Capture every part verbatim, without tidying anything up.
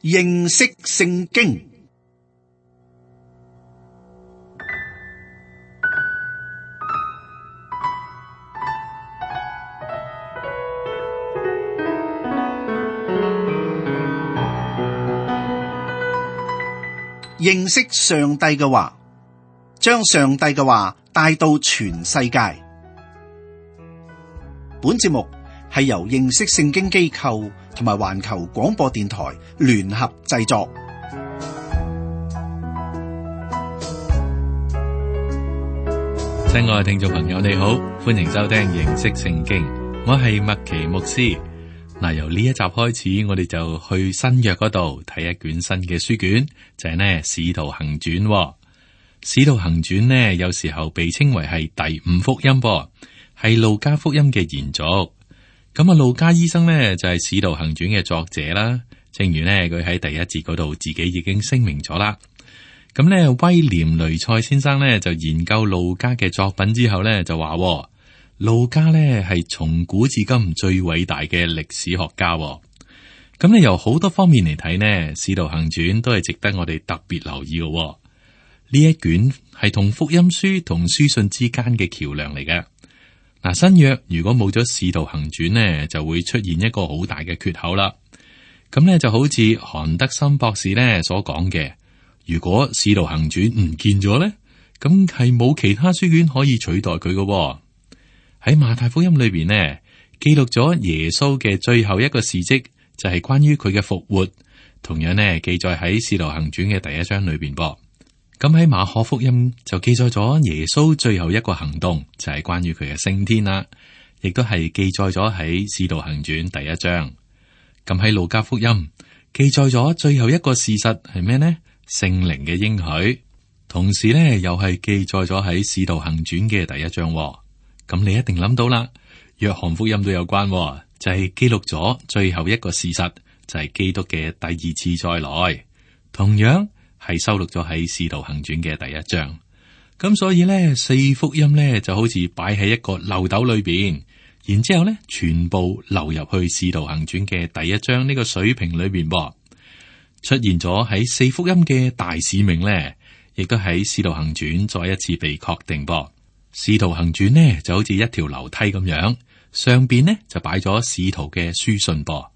認識聖經。認識上帝嘅話，將上帝嘅話帶到全世界。本節目係由認識聖經機構同埋環球廣播電台聯合製作。親愛嘅聽眾朋友，你好，歡迎收聽認識聖經。我係麥奇牧師。嗱，由呢一集開始，我哋就去新約嗰度睇一卷新嘅書卷，就係呢《使徒行傳》。《使徒行傳》呢，有時候被稱為係第五福音，噃係路加福音嘅延續。咁啊，路加醫生呢，就係《使徒行傳》嘅作者啦。正如呢，佢喺第一節嗰度自己已經聲明咗啦。咁呢，威廉雷塞先生呢，就研究路加嘅作品之後呢，就話路加呢係從古至今最偉大嘅歷史學家。咁呢，由好多方面嚟睇呢，《使徒行傳》都係值得我哋特別留意嘅。呢一卷係同福音書同書信之間嘅橋樑嚟嘅。嗱，新約如果冇咗《使徒行傳》呢，就會出現一個好大嘅缺口啦。咁呢就好似韓德森博士呢所講嘅，如果《使徒行傳》唔見咗呢，咁係冇其他書卷可以取代佢嘅。喺馬太福音裏邊呢，記錄咗耶穌嘅最後一個事蹟，就係關於佢嘅復活，同樣呢記載喺《使徒行傳》嘅第一章裏邊噃。咁喺馬可福音就記載咗耶穌最後一個行動，就係關於佢嘅升天啦，亦都係記載咗喺《使徒行傳》第一章。咁喺路加福音記載咗最後一個事實係咩呢？聖靈嘅應許，同時呢又係記載咗喺《使徒行傳》嘅第一章。咁你一定諗到啦，約翰福音都有關，就係記錄咗最後一個事實，就係基督嘅第二次再來，同樣係收錄咗喺《使徒行傳》嘅第一章。咁所以呢，四福音呢就好似擺喺一個漏斗裏邊，然之後呢全部流入去《使徒行傳》嘅第一章呢個水瓶裏邊噃。出現咗喺四福音嘅大使命呢，亦都喺《使徒行傳》再一次被確定噃。《使徒行傳》呢就好似一條樓梯咁樣，上邊呢就擺咗使徒嘅書信噃。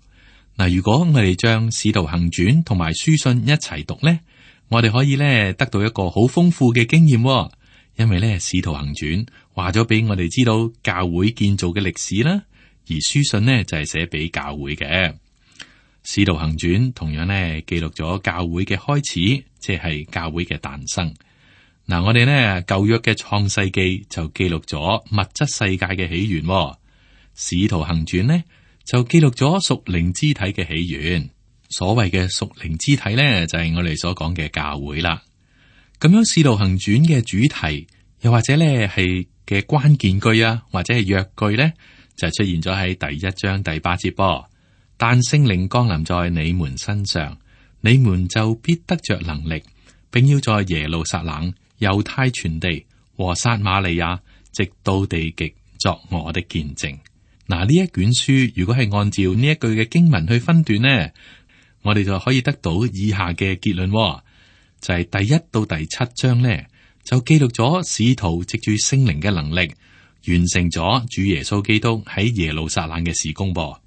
嗱，如果我哋將《使徒行傳》同埋書信一齊讀呢，我哋可以咧得到一個好豐富嘅經驗，因為咧《使徒行傳》話咗俾我哋知道教會建造嘅歷史啦，而書信呢就係寫俾教會嘅。《使徒行傳》同樣咧記錄咗教會嘅開始，即係教會嘅誕生。嗱，我哋呢舊約嘅創世記就記錄咗物質世界嘅起源，《使徒行傳》呢就記錄咗屬靈肢體嘅起源。所謂嘅屬靈肢體呢，就係我哋所講嘅教會啦。咁樣《使徒行傳》嘅主題，又或者呢係嘅關鍵句啊，或者係約句呢，就出現咗喺第一章第八節噃。但聖靈降臨在你們身上，你們就必得着能力，並要在耶路撒冷、猶太全地和撒瑪利亞，直到地極，作我的見證。嗱，呢一卷書如果係按照呢一句嘅經文去分段呢，我哋就可以得到以下嘅結論，就係第一到第七章呢，就記錄咗使徒藉住聖靈嘅能力，完成咗主耶穌基督喺耶路撒冷嘅事工噃。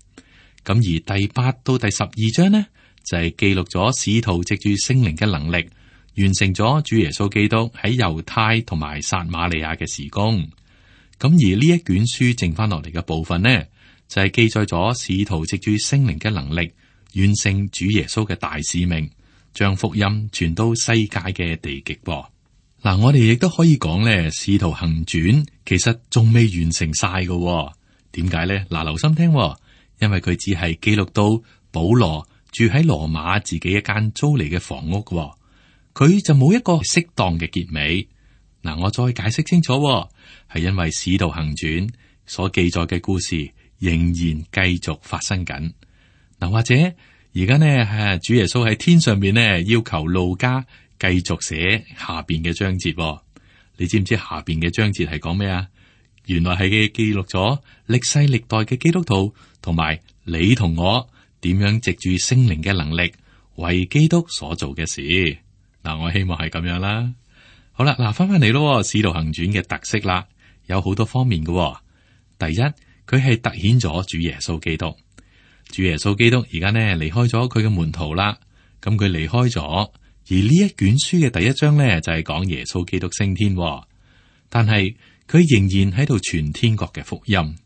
咁而第八到第十二章呢，就係記錄咗使徒藉住聖靈嘅能力，完成咗主耶穌基督喺猶太同埋撒瑪利亞嘅事工。咁而呢一卷書剩翻落嚟嘅部分呢，就係記載咗使徒藉住聖靈嘅能力，完成主耶穌嘅大使命，將福音傳到世界嘅地極噃。嗱，我哋亦都可以講咧，《使徒行傳》其實仲未完成晒嘅。點解咧？嗱，留心聽，因為佢只係記錄到保羅住喺羅馬自己一間租嚟嘅房屋，佢就冇一個適當嘅結尾。嗱，我再解釋清楚，係因為《使徒行傳》所記載嘅故事仍然繼續發生緊。嗱，或者而家呢，係主耶穌喺天上邊呢，要求路加繼續寫下邊嘅章節。你知唔知下邊嘅章節係講咩啊？原來係記錄咗歷世歷代嘅基督徒同埋你同我點樣藉住聖靈嘅能力為基督所做嘅事。嗱，我希望係咁樣啦。好啦，嗱，翻翻嚟咯，使徒行傳嘅特色啦，有好多方面嘅。第一，佢係突顯咗主耶穌基督。主耶穌基督而家呢離開咗佢嘅門徒啦，咁佢離開咗，而呢一卷書嘅第一章呢就係講耶穌基督升天，但係佢仍然喺度傳天國嘅福音。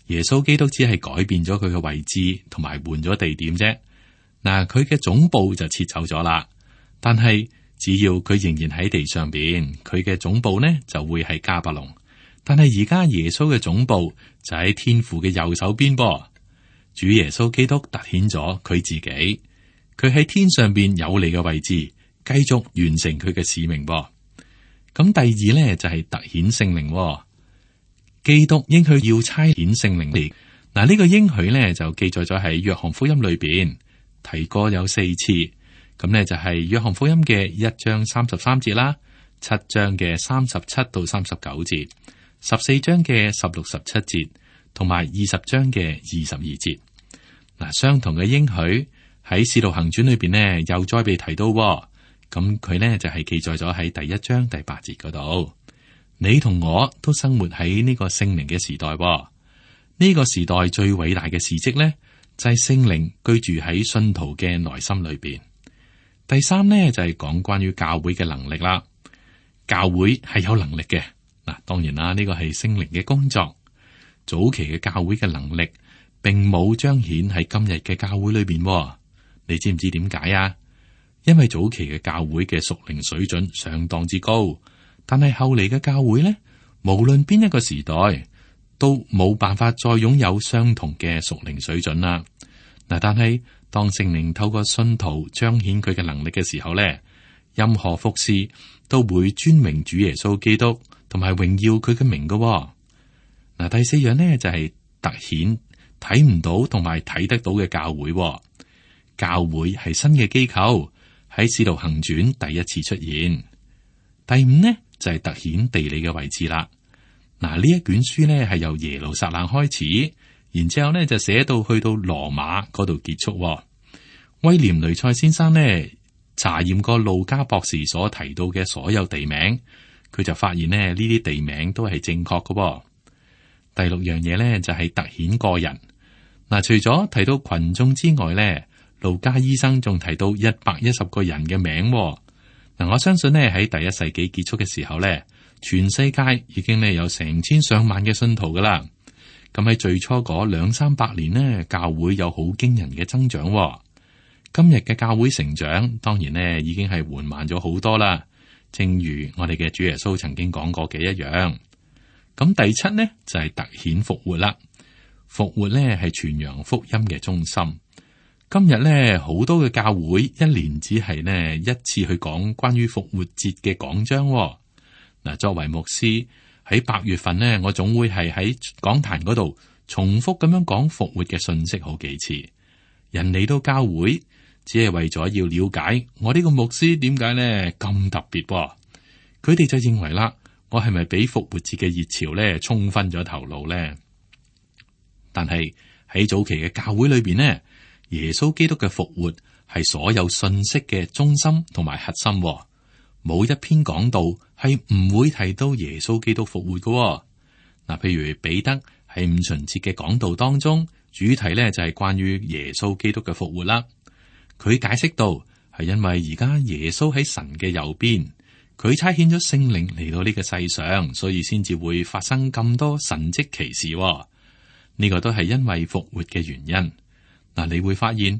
耶穌基督只係改變咗佢嘅位置同埋換咗地點啫。嗱，佢嘅總部就撤走咗啦，但係只要佢仍然喺地上邊，佢嘅總部呢就會係迦百農。但係而家耶穌嘅總部就喺天父嘅右手邊噃。主耶穌基督凸顯咗佢自己，佢喺天上邊有利嘅位置，繼續完成佢嘅使命噃。咁第二呢，就係凸顯聖靈，基督應許要差遣聖靈嚟。嗱，呢個應許呢，就記載咗喺約翰福音裏邊提過有四次。咁呢，就係約翰福音嘅一章三十三節啦，七章嘅三十七到三十九節，十四章嘅十六十七節，同埋二十章嘅二十二節。嗱，相同嘅應許喺《使徒行傳》裏邊呢，又再被提到。咁佢呢就係記載咗喺第一章第八節嗰度。你同我都生活喺呢個聖靈嘅時代。呢個時代最偉大嘅事蹟呢，就係聖靈居住喺信徒嘅內心裏邊。第三呢，就係講關於教會嘅能力啦。教會係有能力嘅。嗱，當然啦，呢個係聖靈嘅工作。早期嘅教會嘅能力，並冇彰顯喺今日嘅教會裏邊。你知唔知點解啊？因為早期嘅教會嘅屬靈水準相當之高，但係後嚟嘅教會呢，無論邊一個時代，都冇辦法再擁有相同嘅屬靈水準啦。嗱，但係當聖靈透過信徒彰顯佢嘅能力嘅時候呢，任何服侍都會尊榮主耶穌基督，同埋榮耀佢嘅名噶。嗱，第四樣呢，就係凸顯睇唔到同埋睇得到嘅教會。教會係新嘅機構，喺使徒行傳第一次出現。第五呢，就係凸顯地理嘅位置啦。嗱，呢一卷書呢，係由耶路撒冷開始，然之後呢就寫到去到羅馬嗰度結束。威廉雷塞先生呢，查驗過路加博士所提到嘅所有地名，佢就發現呢呢啲地名都係正確嘅。第六樣嘢呢，就係凸顯個人。嗱，除咗提到群眾之外呢，路加醫生仲提到一百一十個人嘅名。嗱，我相信呢喺第一世紀結束嘅時候呢，全世界已經呢有成千上萬嘅信徒噶啦。咁喺最初嗰兩三百年呢，教會有好驚人嘅增長。今日嘅教會成長，當然呢已經係緩慢咗好多啦。正如我哋嘅主耶穌曾經講過嘅一樣。咁第七呢，就係凸顯復活啦。復活呢係傳揚福音嘅中心。今日呢，好多嘅教會一年只係呢一次去講關於復活節嘅講章。嗱，作為牧師喺八月份呢，我總會係喺講壇嗰度重複咁樣講復活嘅信息好幾次。人嚟到教會，只係為咗要了解我呢個牧師點解呢咁特別。佢哋就認為啦，我係咪俾復活節嘅熱潮呢沖昏咗頭腦呢？但係喺早期嘅教會裏邊呢，耶穌基督嘅復活係所有信息嘅中心同埋核心。冇一篇講道係唔會提到耶穌基督復活嘅。嗱，譬如彼得喺五旬節嘅講道當中，主題呢就係關於耶穌基督嘅復活啦。佢解釋到係因為而家耶穌喺神嘅右邊，佢差遣咗聖靈嚟到呢個世上，所以先至會發生咁多神蹟奇事。呢個都係因為復活嘅原因。嗱，你會發現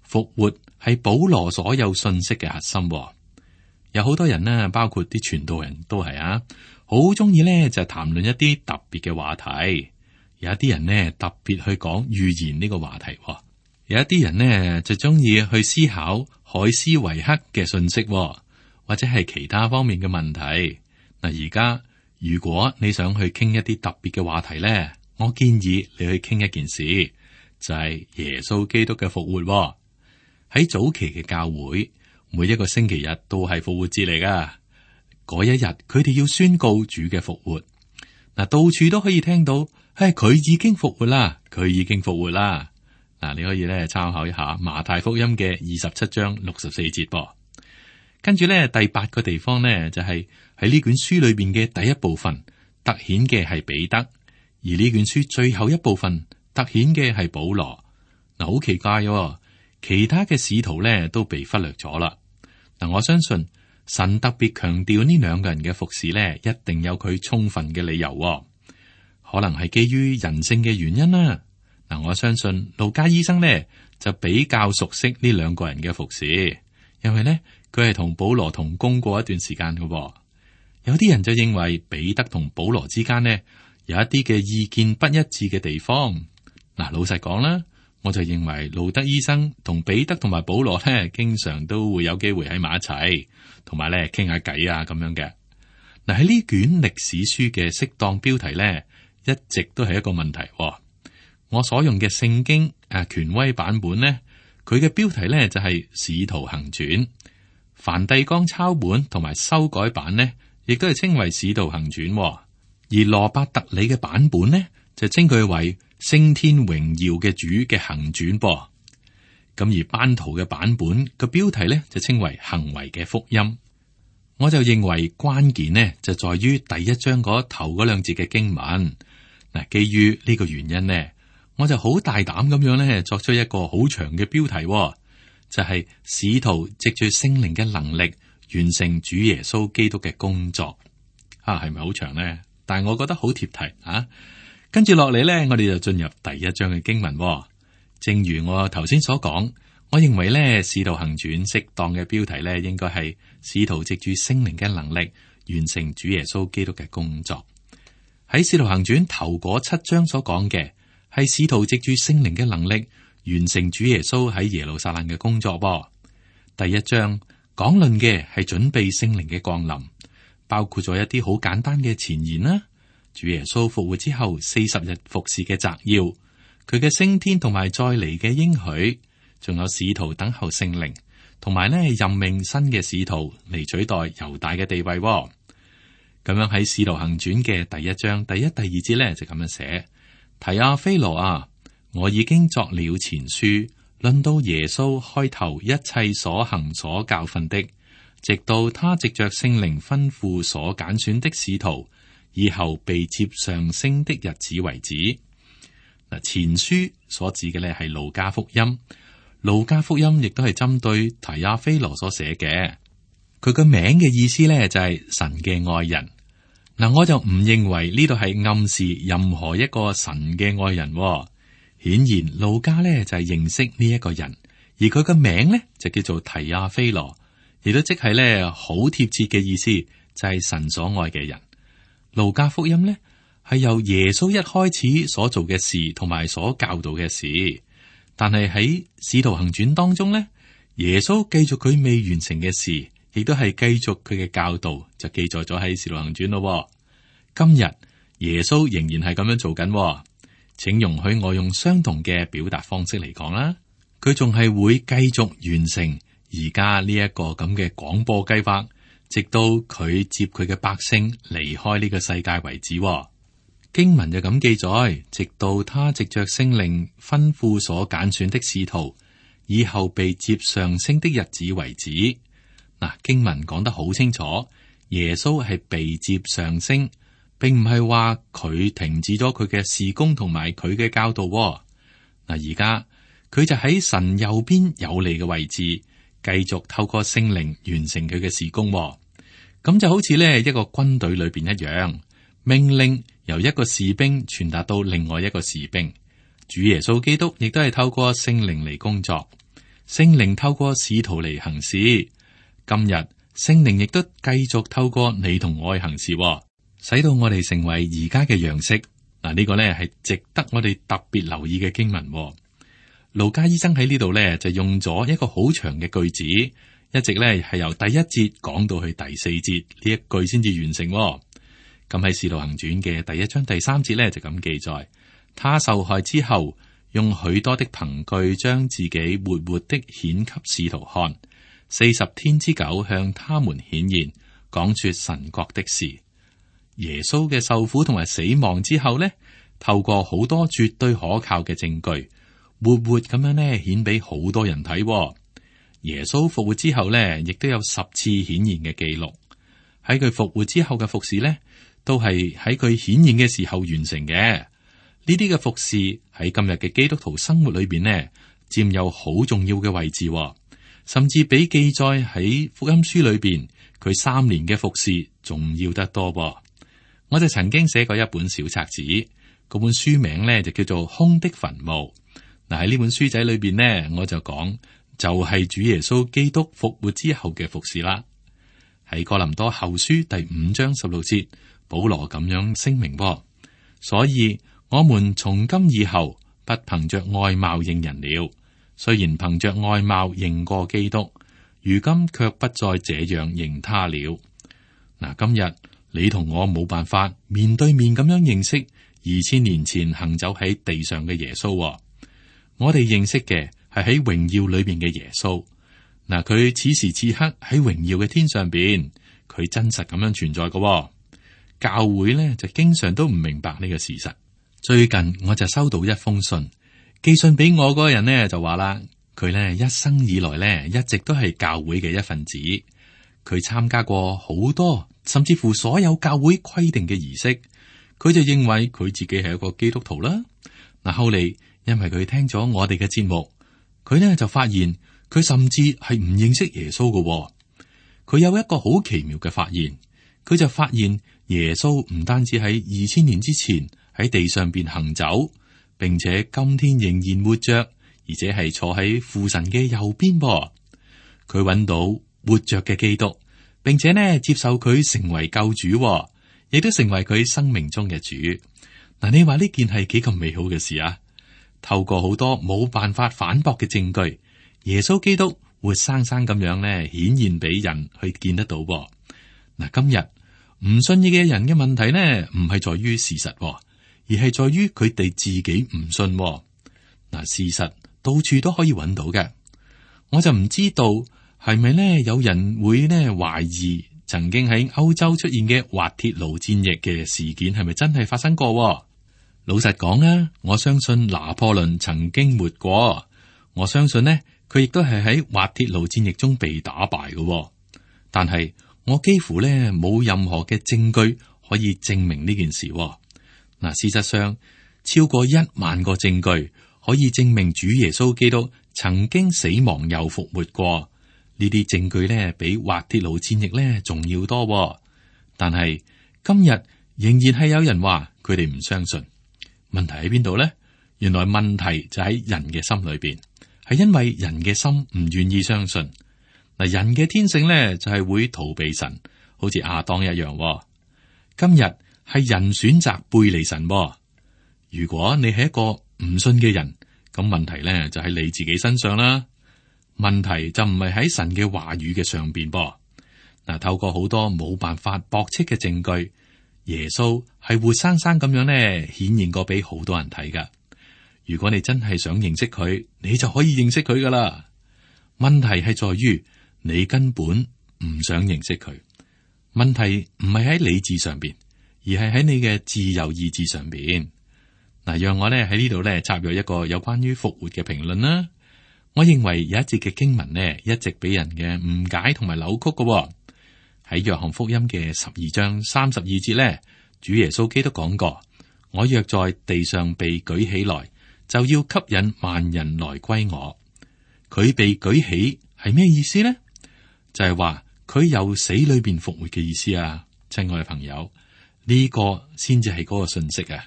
復活係保羅所有信息嘅核心。有好多人呢，包括啲傳道人都係啊，好中意呢就談論一啲特別嘅話題。有一啲人呢，特別去講預言呢個話題。有一啲人呢，就中意去思考海斯維克嘅信息，或者係其他方面嘅問題。嗱，而家如果你想去傾一啲特別嘅話題呢，我建議你去傾一件事，就係耶穌基督嘅復活。喺早期嘅教會，每一個星期日都係復活節嚟噶。嗰一日，佢哋要宣告主嘅復活。嗱，到處都可以聽到，唉，佢已經復活啦，佢已經復活啦。嗱，你可以咧參考一下馬太福音嘅二十七章六十四節噃。跟住咧第八個地方呢，就係喺呢卷書裏邊嘅第一部分突顯嘅係彼得，而呢卷書最後一部分突顯嘅係保羅。嗱，好奇怪喎，其他嘅使徒咧都被忽略咗啦。嗱，我相信神特別強調呢兩個人嘅服侍咧，一定有佢充分嘅理由喎，可能係基於人性嘅原因啦。嗱，我相信路加醫生咧就比較熟悉呢兩個人嘅服侍，因為咧佢係同保羅同工過一段時間嘅喎。有啲人就認為彼得同保羅之間呢有一啲嘅意見不一致嘅地方。嗱，老實講啦，我就認為路德醫生同彼得同埋保羅咧，經常都會有機會喺埋一齊，同埋咧傾下偈啊咁樣嘅。嗱，喺呢卷歷史書嘅適當標題咧，一直都係一個問題喎。我所用嘅聖經誒權威版本呢，佢嘅標題咧就係《使徒行傳》。梵蒂岡抄本同埋修改版呢，亦都係稱為《使徒行傳》。而羅伯特里嘅版本呢，就稱佢為升天榮耀嘅主嘅行傳噃。咁而班圖嘅版本個標題呢，就稱為行為嘅福音。我就認為關鍵呢，就在於第一章嗰頭嗰兩節嘅經文。嗱，基於呢個原因呢，我就好大膽咁樣咧，作出一個好長嘅標題，就係、是、使徒藉住聖靈嘅能力完成主耶穌基督嘅工作。啊，係咪好長呢？但係我覺得好貼題啊！跟住落嚟咧，我哋就進入第一章嘅經文。正如我頭先所講，我認為咧，使徒行傳適當嘅標題咧，應該係使徒藉住聖靈嘅能力完成主耶穌基督嘅工作。喺使徒行傳頭嗰七章所講嘅，係使徒藉住聖靈嘅能力完成主耶穌喺耶路撒冷嘅工作噃。第一章講論嘅係準備聖靈嘅降臨，包括咗一啲好簡單嘅前言啦。主耶穌復活之後四十日服侍嘅摘要，佢嘅升天同埋再嚟嘅應許，仲有使徒等候聖靈，同埋呢任命新嘅使徒嚟取代猶大嘅地位。咁樣喺使徒行傳嘅第一章第一、第二節呢，就咁樣寫。提阿非羅啊，我已經作了前書，論到耶穌開頭一切所行所教訓的，直到他藉着聖靈吩咐所揀選的使徒，以後被接上升的日子為止。嗱，前書所指嘅咧係路加福音，路加福音亦都係針對提阿非羅所寫嘅。佢個名嘅意思咧就係神嘅愛人。嗱，我就唔認為呢度係暗示任何一個神嘅愛人。顯然路加咧就係認識呢一個人，而佢個名咧就叫做提阿非羅，亦都即係咧好貼切嘅意思，就係神所愛嘅人。路加福音咧係由耶穌一開始所做嘅事同埋所教導嘅事，但係喺使徒行傳當中咧，耶穌繼續佢未完成嘅事。亦都係繼續佢嘅教導，就記載咗喺《使徒行傳》咯。今日耶穌仍然係咁樣做緊，請容許我用相同嘅表達方式嚟講啦。佢仲係會繼續完成而家呢一個咁嘅廣播計劃，直到佢接佢嘅百姓離開呢個世界為止。經文就咁記載，直到他藉着聖靈吩咐所揀選的使徒，以後被接上升的日子為止。嗱，經文講得好清楚，耶穌係被接上升，並唔係話佢停止咗佢嘅事工同埋佢嘅教導。嗱，而家佢就喺神右邊有利嘅位置，繼續透過聖靈完成佢嘅事工。咁就好似呢一個軍隊裏邊一樣，命令由一個士兵傳達到另外一個士兵。主耶穌基督亦都係透過聖靈嚟工作，聖靈透過使徒嚟行事。今日聖靈亦都繼續透過你同我行事，使到我哋成為而家嘅樣式。嗱，呢個呢係值得我哋特別留意嘅經文。路加醫生喺呢度呢就用咗一個好長嘅句子，一直呢係由第一節講到去第四節呢一句先至完成。咁喺《使徒行傳》嘅第一章第三節呢就咁記載：他受害之後，用許多的憑據將自己活活的顯給使徒看。四十天之久向他們顯現，講說神國的事。耶穌嘅受苦同埋死亡之後呢，透過好多絕對可靠嘅證據，活活咁樣呢顯俾好多人睇。耶穌復活之後呢，亦都有十次顯現嘅記錄。喺佢復活之後嘅服侍呢，都係喺佢顯現嘅時候完成嘅。呢啲嘅服侍喺今日嘅基督徒生活裏邊呢，佔有好重要嘅位置，甚至比記載喺福音書裏邊佢三年嘅服侍仲要得多噃。我就曾經寫過一本小冊子，嗰本書名呢就叫做《空的墳墓》。嗱，喺呢本書仔裏邊呢，我就講就係主耶穌基督復活之後嘅服侍啦。喺哥林多後書第五章十六節，保羅咁樣聲明噃，所以我們從今以後不憑着外貌認人了，雖然憑着外貌認過基督，如今卻不再這樣認他了。嗱，今日你同我冇辦法面對面咁樣認識二千年前行走喺地上嘅耶穌，我哋認識嘅係喺榮耀裏邊嘅耶穌。嗱，佢此時此刻喺榮耀嘅天上邊，佢真實咁樣存在嘅。教會呢就經常都唔明白呢個事實。最近我就收到一封信，寄信俾我嗰個人呢就話啦，佢呢一生以來呢一直都係教會嘅一份子，佢參加過好多甚至乎所有教會規定嘅儀式，佢就認為佢自己係一個基督徒啦。嗱，後嚟因為佢聽咗我哋嘅節目，佢呢就發現佢甚至係唔認識耶穌嘅。佢有一個好奇妙嘅發現，佢就發現耶穌唔單止喺二千年之前喺地上邊行走，並且今天仍然活着，而且係坐喺父神嘅右邊噃。佢揾到活着嘅基督，並且呢接受佢成為救主，亦都成為佢生命中嘅主。嗱，你話呢件係幾咁美好嘅事啊？透過好多冇辦法反駁嘅證據，耶穌基督活生生咁樣呢顯現俾人去見得到噃。嗱，今日唔信義嘅人嘅問題呢，唔係在於事實，而係在於佢哋自己唔信。嗱，事實到處都可以揾到嘅，我就唔知道係咪呢有人會呢懷疑曾經喺歐洲出現嘅滑鐵盧戰役嘅事件係咪真係發生過？老實講啊，我相信拿破崙曾經活過，我相信呢佢亦都係喺滑鐵盧戰役中被打敗嘅。但係我幾乎呢冇任何嘅證據可以證明呢件事。嗱，事實上超過一萬個證據可以證明主耶穌基督曾經死亡又復活過。呢啲證據呢比滑鐵盧戰役呢仲要多。但係今日仍然係有人話佢哋唔相信。問題喺邊度呢？原來問題就喺人嘅心裏邊，係因為人嘅心唔願意相信。嗱，人嘅天性呢就係會逃避神，好似亞當一樣。今日係人選擇背離神。如果你係一個唔信嘅人，咁問題呢就喺你自己身上啦。問題就唔係喺神嘅話語嘅上邊噃。嗱，透過好多冇辦法駁斥嘅證據，耶穌係活生生咁樣呢顯現過俾好多人睇噶。如果你真係想認識佢，你就可以認識佢噶啦。問題係在於你根本唔想認識佢。問題唔係喺理智上邊，而係喺你嘅自由意志上邊。嗱，讓我呢喺呢度呢插入一個有關於復活嘅評論啦。我認為有一節嘅經文呢，一直俾人嘅誤解同埋扭曲嘅。喺約翰福音嘅十二章三十二節呢，主耶穌基督講過：我若在地上被舉起來，就要吸引萬人來歸我。佢被舉起係咩意思呢？就係話佢由死裏邊復活嘅意思啊！親愛嘅朋友，呢個先至係嗰個信息啊！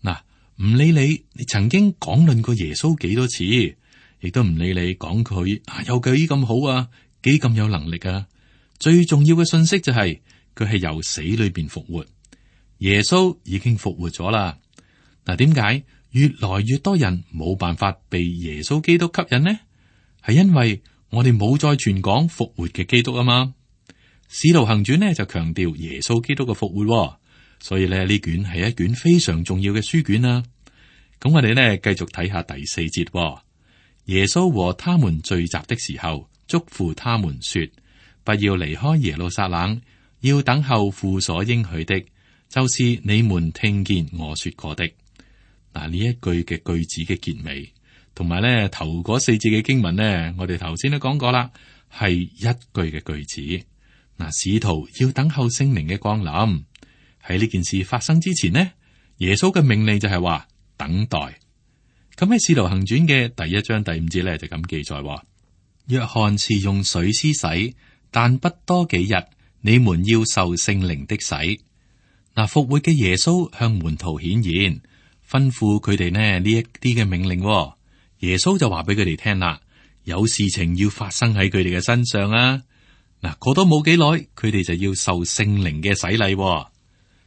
嗱，唔理你你曾經講論過耶穌幾多次，亦都唔理你講佢啊有幾咁好啊，幾咁有能力啊！最重要嘅信息就係佢係由死裏邊復活，耶穌已經復活咗啦。嗱，點解越來越多人冇辦法被耶穌基督吸引呢？係因為我哋冇再傳講復活嘅基督啊嘛。使徒行傳呢就強調耶穌基督嘅復活，所以咧呢卷係一卷非常重要嘅書卷啦。咁我哋呢繼續睇下第四節，耶穌和他們聚集的時候，囑咐他們說：不要離開耶路撒冷，要等候父所應許的，就是你們聽見我說過的。嗱，呢一句嘅句子嘅結尾同埋咧頭嗰四節嘅經文呢，我哋頭先都講過啦，係一句嘅句子。嗱，使徒要等候聖靈嘅降臨。喺呢件事發生之前呢，耶穌嘅命令就係話等待。咁喺《使徒行傳》嘅第一章第五節咧就咁記載：約翰是用水施洗，但不多幾日，你們要受聖靈的洗。嗱，復活嘅耶穌向門徒顯現，吩咐佢哋呢呢一啲嘅命令。耶穌就話俾佢哋聽啦，有事情要發生喺佢哋嘅身上啊！嗱，過多冇幾耐，佢哋就要受聖靈嘅洗禮。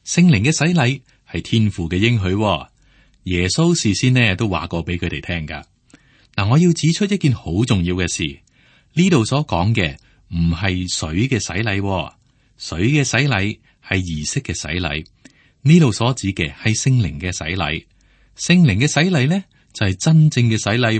聖靈嘅洗禮係天父嘅應許。耶穌事先呢都話過俾佢哋聽噶。嗱，我要指出一件好重要嘅事，呢度所講嘅唔係水嘅洗禮，水嘅洗禮係儀式嘅洗禮。呢度所指嘅係聖靈嘅洗禮，聖靈嘅洗禮呢就係真正嘅洗禮。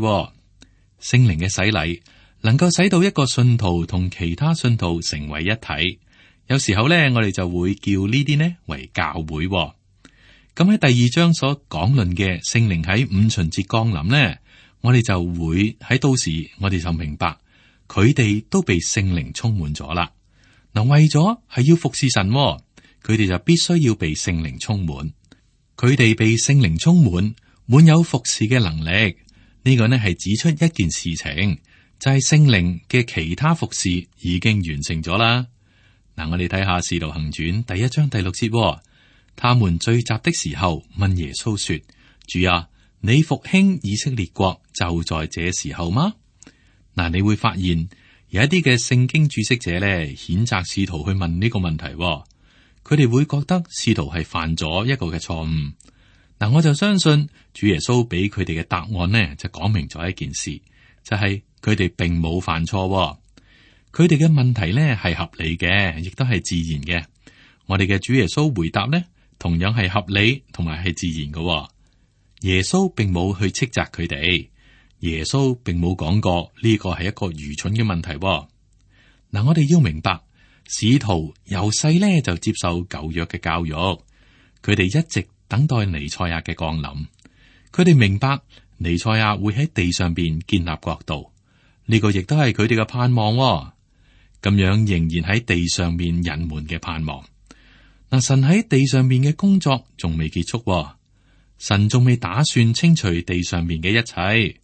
聖靈嘅洗禮能夠使到一個信徒同其他信徒成為一體。有時候咧，我哋就會叫呢啲呢為教會。咁喺第二章所講論嘅聖靈喺五旬節降臨呢，我哋就會喺到時，我哋就明白佢哋都被聖靈充滿咗啦。嗱，為咗係要服侍神，佢哋就必須要被聖靈充滿。佢哋被聖靈充滿，滿有服侍嘅能力。呢個呢係指出一件事情，就係聖靈嘅其他服侍已經完成咗啦。嗱，我哋睇下《使徒行傳》第一章第六節，他們聚集的時候，問耶穌說：主啊，你復興以色列國就在這時候嗎？嗱，你會發現有一啲嘅聖經注釋者咧，譴責使徒去問呢個問題，佢哋會覺得使徒係犯咗一個嘅錯誤。嗱，我就相信主耶穌俾佢哋嘅答案呢，就講明咗一件事，就係佢哋並冇犯錯。佢哋嘅問題呢係合理嘅，亦都係自然嘅。我哋嘅主耶穌回答呢，同樣係合理同埋係自然嘅。耶穌並冇去斥責佢哋，耶穌並冇講過呢個係一個愚蠢嘅問題。嗱，我哋要明白，使徒由細呢就接受舊約嘅教育，佢哋一直等待彌賽亞嘅降臨。佢哋明白彌賽亞會喺地上邊建立國度，呢個亦都係佢哋嘅盼望。咁樣仍然喺地上面人們嘅盼望。嗱，神喺地上面嘅工作仲未結束，神仲未打算清除地上面嘅一切。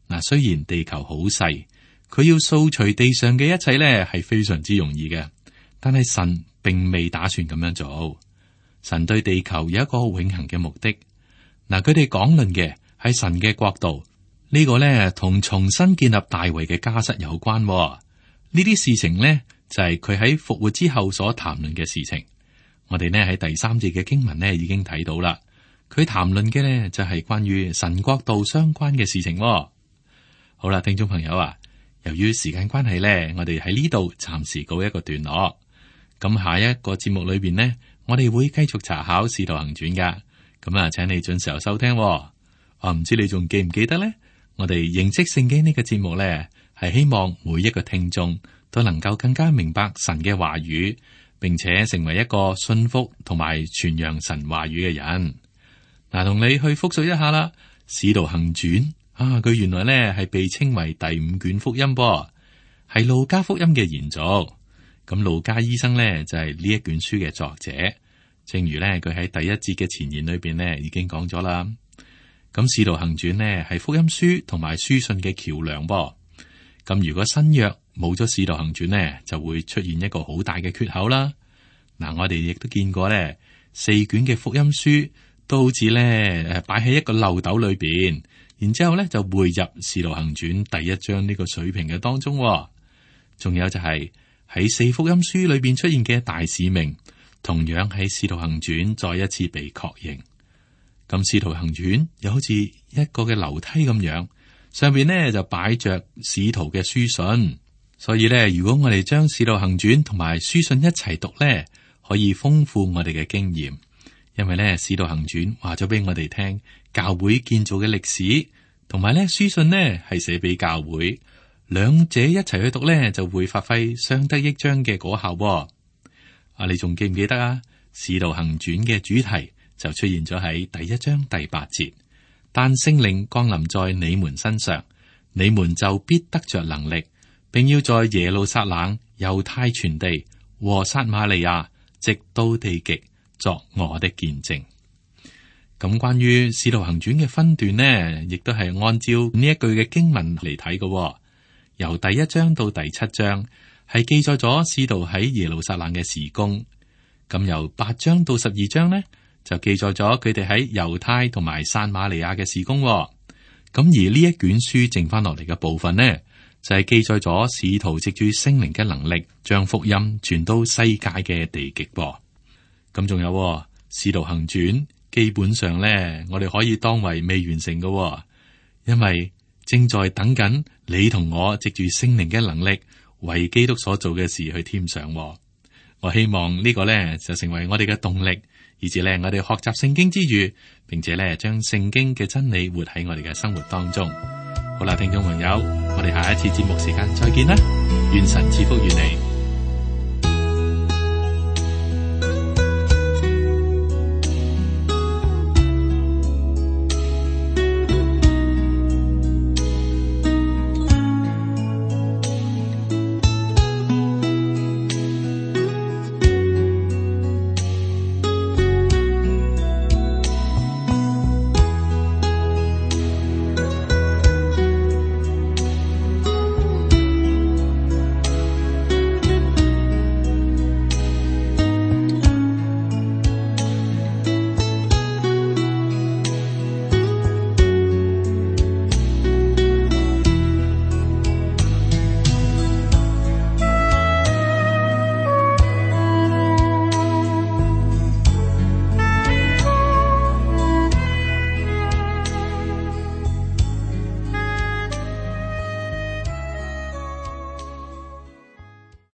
嗱，雖然地球好細，佢要掃除地上嘅一切咧，係非常之容易嘅。但係神並未打算咁樣做。神對地球有一個永恆嘅目的。嗱，佢哋講論嘅係神嘅國度，呢個咧同重新建立大衛嘅家室有關。呢啲事情呢，就係佢喺復活之後所談論嘅事情。我哋呢喺第三節嘅經文呢已經睇到啦。佢談論嘅呢就係關於神國度相關嘅事情。好啦，聽眾朋友啊，由於時間關係呢，我哋喺呢度暫時告一個段落。咁下一個節目裏邊呢，我哋會繼續查考《使徒行傳》噶。咁啊，請你準時候收聽。我唔知你仲記唔記得呢？我哋認識聖經呢個節目呢，係希望每一個聽眾都能夠更加明白神嘅話語，並且成為一個信服同埋傳揚神話語嘅人。嗱，同你去複述一下啦，《使徒行傳》啊，佢原來呢係被稱為第五卷福音噃，係路加福音嘅延續。咁路加醫生呢就係呢一卷書嘅作者，正如呢佢喺第一節嘅前言裏邊呢已經講咗啦。咁《使徒行傳》呢係福音書同埋書信嘅橋樑噃。咁如果新約冇咗《使徒行傳》呢，就會出現一個好大嘅缺口啦。嗱，我哋亦都見過呢四卷嘅福音書都好似呢誒擺喺一個漏斗裏邊，然之後呢就匯入《使徒行傳》第一章呢個水平嘅當中。仲有就係喺四福音書裏邊出現嘅大使命，同樣喺《使徒行傳》再一次被確認。咁《使徒行傳》又好似一個嘅樓梯咁樣，上邊呢就擺着使徒嘅書信，所以呢，如果我哋將《使徒行傳》同埋書信一齊讀呢，可以豐富我哋嘅經驗。因為呢，《使徒行傳》話咗俾我哋聽教會建造嘅歷史，同埋呢書信呢係寫俾教會，兩者一齊去讀呢，就會發揮相得益彰嘅果效。啊，你仲記唔記得啊？《使徒行傳》嘅主題就出現咗喺第一章第八節，但聖靈降臨在你們身上，你們就必得着能力，並要在耶路撒冷、猶太全地和撒瑪利亞，直到地極，作我的見證。咁關於使徒行傳嘅分段呢，亦都係按照呢一句嘅經文嚟睇嘅。由第一章到第七章係記載咗使徒喺耶路撒冷嘅事工。咁由八章到十二章呢，就記載咗佢哋喺猶太同埋撒瑪利亞嘅事工。咁而呢一卷書剩翻落嚟嘅部分呢，就係、是、記載咗使徒藉住聖靈嘅能力，將福音傳到世界嘅地極噃。咁仲有使徒行傳。基本上咧，我哋可以當為未完成嘅，因為正在等緊你同我藉住聖靈嘅能力，為基督所做嘅事去添上。我希望呢個咧就成為我哋嘅動力，以至咧我哋學習聖經之餘，並且咧將聖經嘅真理活喺我哋嘅生活當中。好啦，聽眾朋友，我哋下一次節目時間再見啦，願神賜福於你。